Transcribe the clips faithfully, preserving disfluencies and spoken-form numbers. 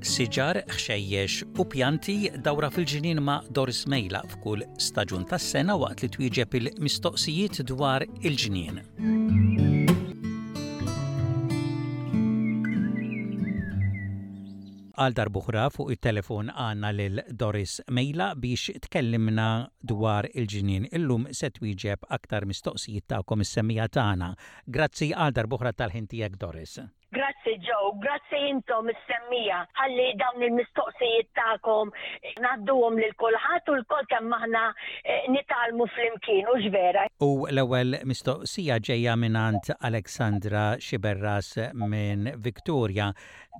Siġar, ħxejjex u pjanti dawra fil-ġnien ma' Doris Mejla f'kull staġun tas-sena waqt li twieġeb il-mistoqsijiet dwar il-ġnien. Għal darb'oħra fuq it-telefon għandna lil Doris Mejla biex tkellimna dwar il-ġnien. Illum se twieġeb aktar mistoqsijiet tagħkom is-semmiegħa tagħna. Grazzi għal darb'oħra tal-ħin tiegħek Doris. Grazzi Joe, grazzi intom is-semmiegħa ħalli dawn il-mistoqsijiet tagħkom ngħadduhom lil kulħadd u lkoll kemm aħna eh, nitgħallmu flimkien u vera. U l-ewwel mistoqsija ġejja mingħand Alexandra Xiberras minn Victoria.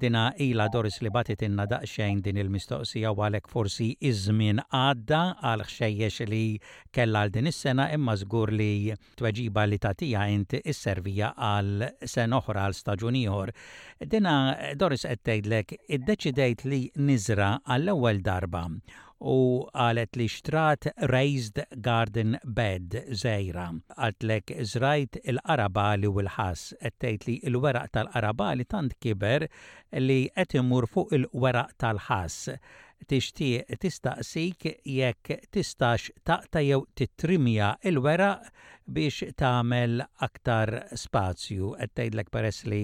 Dina ilha Doris li bagħtitilna daqsxejn din il-mistoqsija u għalhekk forsi iż-żmien għadda għal ħxejjex li kellha għal din is-sena imma żgur li tweġiba li tagħtiha int isserviha għal sena oħra għal staġun ieħor. Dina Doris qed tgħidlek iddeċidejt li niżra għall-ewwel darba u qalet li xtrat raised garden bed żgħira. Qaltlek żrajt il-qarabagħli u l-ħass qed tgħid li l-weraq tal-qarabagħli tant kiber li qed imur fuq il-weraq tal-ħass. Tixtieq tistaqsik jekk tistax taqta' jew titrimja il-weraq biex tagħmel aktar spazju. Qed tgħidlek peress li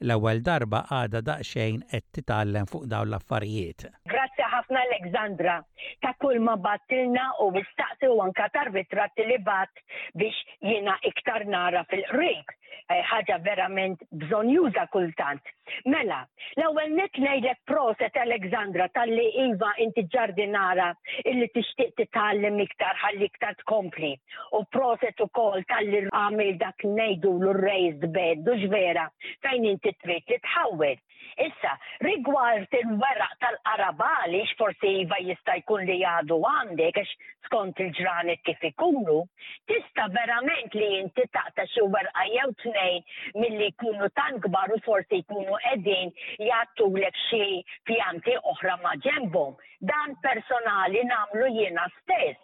l-ewwel darba għadha daqsxejn qed titgħallem fuq dawn l-affarijiet. Grazzi ħafna Alexandra ta' kull ma bgħattilna u mistaqsi u anka tar-ritratti li bgħatt biex jiena iktar nara fil-qrib. Eh, ħaġa verament bżonnjuża kultant. Mela, l-ewwel nett ngħidlek proset Alexandra talli iva inti ġardinara illi tixtieq titgħallem iktar ħalli iktar tkompli. U proset ukoll talli għamil dak ngħidu l-raised bed, hux vera, fejn inti trid li tħawwel. Issa, rigward il-weraq tal-qarabagħli, forsi iva jista' jkun li għadu għandek, għax skont il-ġranet kif ikunu, tista' verament li inti taqta' xi werqa jew tnejn milli jkunu tant kbar u forsi jkunu qegħdin jgħattulek xi pjanti oħra ma' ġenbhom. Dan personali nagħmlu jiena stess.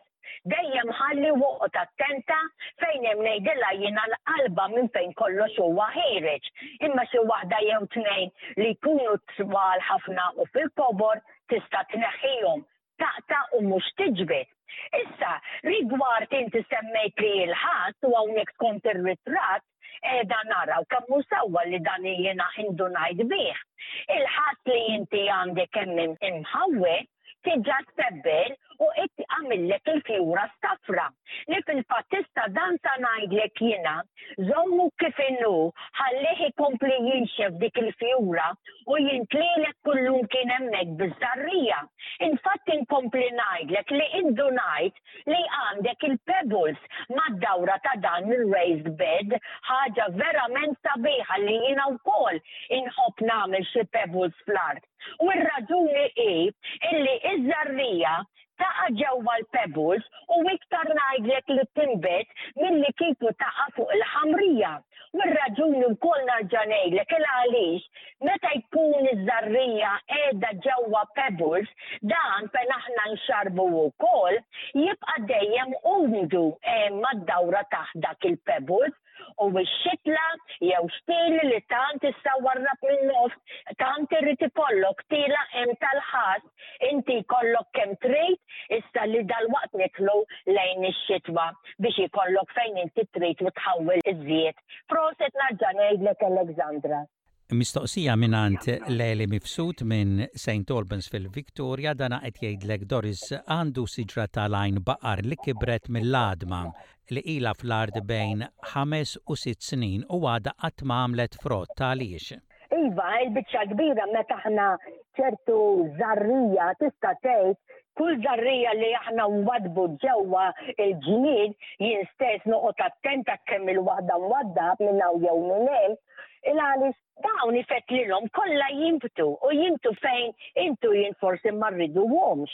Dejjem ħalli waqt attenta fejn hemm ngħidilha jiena l-qalba minn fejn kollox huwa ħiereġ. Imma xi waħda jew tnejn li jkunu twal ħafna u fil-kobor tista' tneħħihom taqta' u mhux tiġbed. Issa, rigward inti semmejt li l-ħass u hawnhekk skont ir-ritratt qiegħda naraw kemm hu sewwa li dan jiena indunajt bih. Il-ħass li inti għandek hemm imħawwel diġà ttebbel u qed għamillek il-fjura safra. Li fil-fatt tista' dan sa ngħidlek jiena, żommu kif inhu, ħallih ikompli jinxef dik il-fjura u jintlilek kullum kien hemmhekk biż-żarrija. Infatti inkompli ngħidlek li indunajt li għandek il-pebbles mad-dawra ta' dan il-raised bed, ħaġa verament sabiħa li jiena wkoll inħobb nagħmel xi pebbles fl-art. U r-raġuni hi illi iż-żarrija taqa' ġewwa l-pebbles u iktar ngħidlek li tinbet milli kieku taqa' fuq il-ħamrija. U r-raġuni wkoll nerġa' ngħidlek il għaliex meta jkun iż-żarrija qiegħda ġewwa pebbles, dan fejn aħna nxarbu wkoll jibqa' dejjem umdu mad-dawra taħt dak il-pebbles u x-xitla jew xtieli li tant issa warrab minn nofs, tant irid ikollok tila hemm tal-ħass, inti jkollok kemm trid, issa li dalwaqt nidħlu lejn ix-xitwa biex ikollok fejn inti trid u tħawwel iż-żied. Proset nerġa' ngħidlek Alexandra. Mistoqsija mingħand Leli Mifsud minn St. Albans fil-Victoria dana qed jgħidlek Doris għandu siġra tal-għajn baqar li kibret mill-għadma li ila fl-art bejn ħames u sitt snin u għadha qatt ma għamlet frott għaliex. Iva, il-biċċa kbira meta aħna ċertu żarrija tista' tgħid kull żarrija li aħna nwaddbu ġewwa il-ġnien jien stess noqgħod attenta kemm il-waħda nwaddab minn hawn jew minn hemm, il għaliex dawn ifettlilhom kollha jinbtu u jinbtu fejn intu jien forsi ma rriduhomx.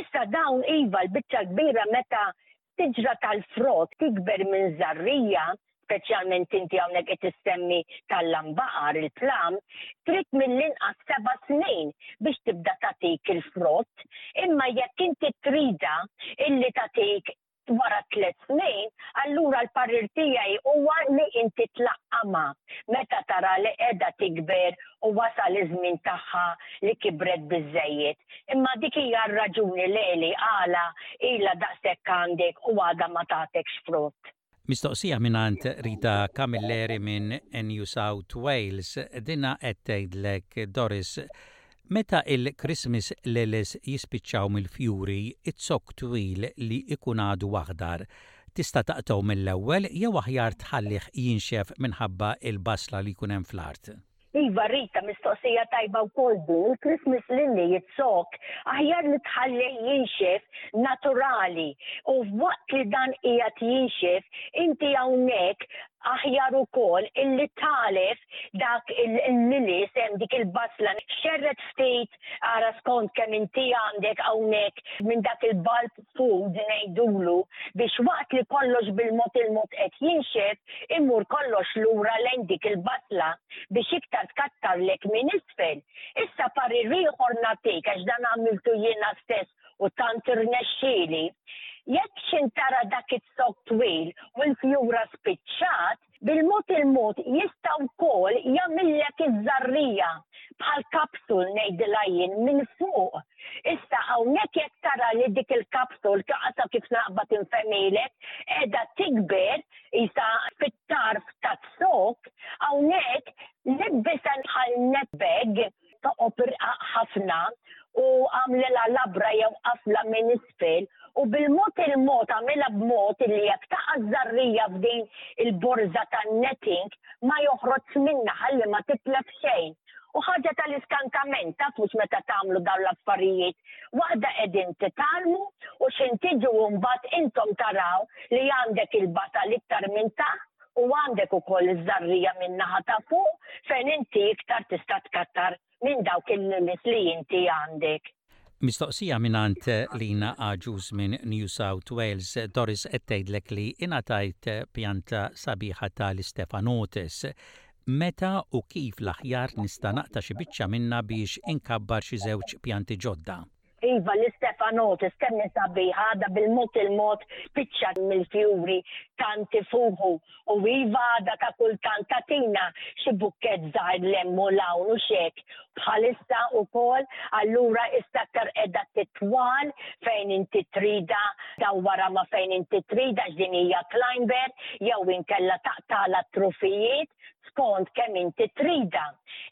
Issa dawn iva l-biċċa kbira meta siġra tal-frott tikber minn żarrija, speċjalment inti hawnhekk qed issemmi tal-lambaqar il-plam, trid mill-inqas seba' snin biex tibda tagħtik il-frott, imma jekk inti trida illi tagħtik Wara tliet snin, allura l-parir tiegħi huwa li inti tlaqqama meta tara li qiegħda tikber u wasal iż-żmien tagħha li kibret biżejjed. Imma dik hija r-raġuni leli għala ilha daqshekk għandek u għadha ma tatekx frott. Mistoqsija mingħand Rita Camilleri minn New South Wales, dina qed tgħidlek, Doris, meta il-Christmas lilies jispiċċaw mill-fjuri, iz-zokk twil li ikun għadu aħdar, tista' taqtgħu mill-ewwel jew aħjar tħallih jinxef minħabba il-basla li jkun hemm fl-art? Iva Rita, mistoqsija tajba wkoll din, il-Christmas lily iz-zokk aħjar li tħallih jinxef naturali u waqt li dan qiegħed jinxef inti hawnhekk aħjar ukoll illi tagħlef dak il-lilies hemm dik il-basla xerred ftit, ara skont kemm inti għandek hawnhekk minn dak il-bulb food ngħidulu, biex waqt li kollox bil-mod il-mod qed jinxef imur kollox lura lejn dik il-basla biex iktar tkattarlek minn isfel. Issa parir ieħor nagħtik, għax dan għamiltu jiena stess u tant irnexxieli. Jekk x'ħin tara dak iz-zokk twil u l-fjura spiċċat, bil-mod il-mod jista' wkoll jagħmillek iż-żarrija bħal kapsul ngħidilha jien minn fuq. Issa hawnhekk jekk tara li dik il-kapsul kaqasa kif naqbad infehmilek qiegħda tikber isa fit-tarf taz-zokk, hawnhekk libbisha bħal net bag toqob irqaq ħafna u għamlilha labra jew qafla minn isfel u bil-mod il-mod għamilha b'mod li jekk taqa' żarrija f'din il-borża tan-netting ma joħroġ minna ħalli ma titlef xejn. U ħaġa tal-iskantament, taf mhux meta tagħmlu dawn l-affarijiet, waħda qegħdin titgħallmu u x'ħin tiġu mbagħad intom taraw li għandek il-basal iktar minn taħt u għandek ukoll iż-żarrija minn naħa ta' fuq fejn inti iktar tista' tkattar minn dawk il-lilies li inti għandek. Mistoqsija mingħand Lina Aġus minn New South Wales, Doris, qed tgħidlek li ingħatajt pjanta sabiħa tal-Stephanotis. Meta u kif l-aħjar nista' naqta' xi biċċa minna biex inkabbar xi żewġ pjanti ġodda? Iva, l-Stephanotis kemm sabiħa, għadha bil-mod il-mod spiċċa mill-fjuri tant ifuħu u iva għadha ta' kultant tagħtina xi bukkett żgħir 'l hemm u 'l hawn u xek bħalissa ukoll, allura issa aktar qiegħda titwal fejn inti trida, dawwara ma fejn inti trida x'din hija climber jew inkella taqtala trufijiet skont kemm inti trida.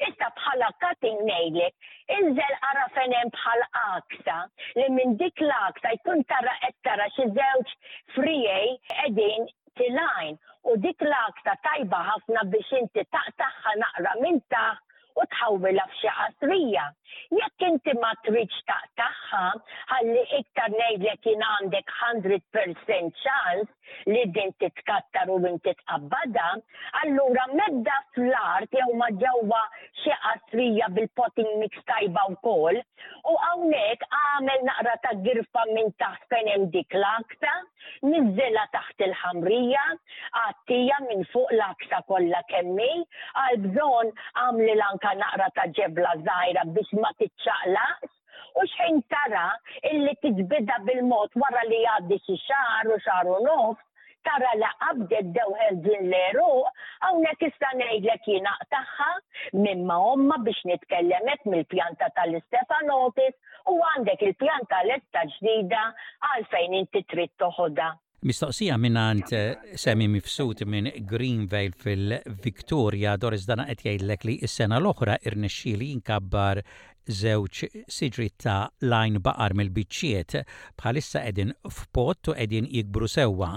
Issa bħala cutting ngħidlek, inżel ara fejn hemm bħal għaksa li minn dik l-għaksa jkun tara qed tara xi żewġ friegħi qegħdin telgħin u dik l-għaksa tajba ħafna biex inti taqtagħha naqra minn taħt u tħawwilha f'xi qasrija. Jekk inti ma tridx taqtagħha, ħalli iktar ngħidlek jien għandek mija fil-mija ċans li din titkattar u inti tqabbadha, allura medda fl-art jew ma ġewwa xi qasrija bil-potting mix tajba wkoll u hawnhekk għamel naqra ta' girfa minn taħt fejn hemm dik l-għaksa, niżżilha taħt il-ħamrija, għattija minn fuq l-għaksa kollha kemm hi, għal bżonn għamli anka naqra ta' ġebla żgħira biex ma tiċċaqlaqx u xħin tara illi tiġbida bil-mod wara li jgħaddi xi xahar u xahar u nofs, tara li qabdet dew ħerġin l-għeruq, hawnhekk issa ngħidlek jiena tagħha minn ma' omma biex nitkellemek mill-pjanta tal-Stephanotis u għandek il-pjanta lesta ġdida għal fejn inti trid toħodha. Mistoqsija mingħand Semi Mifsud minn Greenvale fil-Victoria, Doris, dana qed jgħidlek li s-sena l-oħra irnexxieli jinkabbar żewġ siġri ta' l-għajnbaqar mill-biċċiet. Bħalissa qegħdin f'pot u qegħdin jikbru sewwa.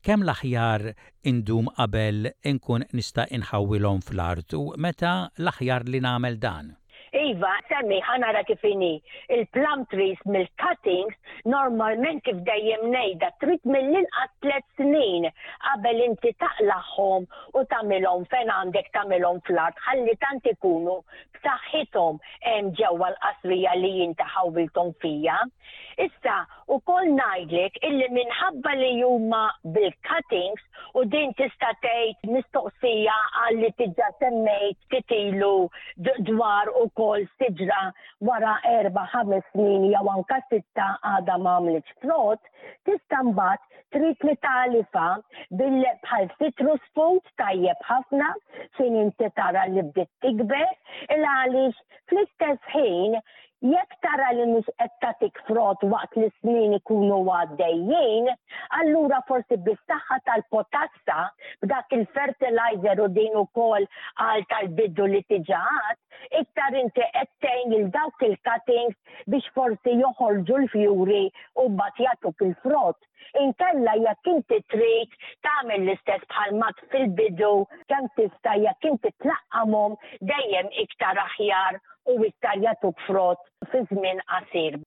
Kemm l-aħjar indum qabel inkun nista' inħawwilhom fl-art u meta l-aħjar li nagħmel dan? Iva, Semmi, ħa nara kif inhi. Il-plum trees mill-cuttings, normalment kif dejjem ngħidha, trid mill-inqas tliet snin qabel inti taqlagħhom u tagħmilhom fejn għandek tagħmilhom fl-art, ħalli tant ikunu b'saħħithom hemm ġewwa l-qasrija li inti ħawwilthom fija. Issa, ukoll ngħidlek illi minħabba li huma bil-cuttings u din tista' tgħid mistoqsija għal li diġà semmejt titilu dwar ukoll siġra wara erba' ħames snin jew anka sitta għadha ma għamlitx frott, tista' mbagħad Trid li tagħlifha bil bħal citrus food, tajjeb ħafna fejn inti tara li bdiet tikber, il għaliex fl-istess ħin, jekk tara li mhux qed tagħtik frott waqt li snin ikunu għaddejjin, allura forsi bis-saħħa tal-potassa, b'dak il-fertilizer u din ukoll għal tal-bidu li tiġaħat, iktar inti qed tgħin lil dawk il-cuttings biex forsi joħorġu l-fjuri u mbagħad jagħtuk il-frott. Inkella jekk inti trid tagħmel l-istess bħal mat fil-bidu, kemm tista', jekk inti tlaqqamhom, dejjem iktar aħjar u iktar jagħtuk frott fi żmien qasir.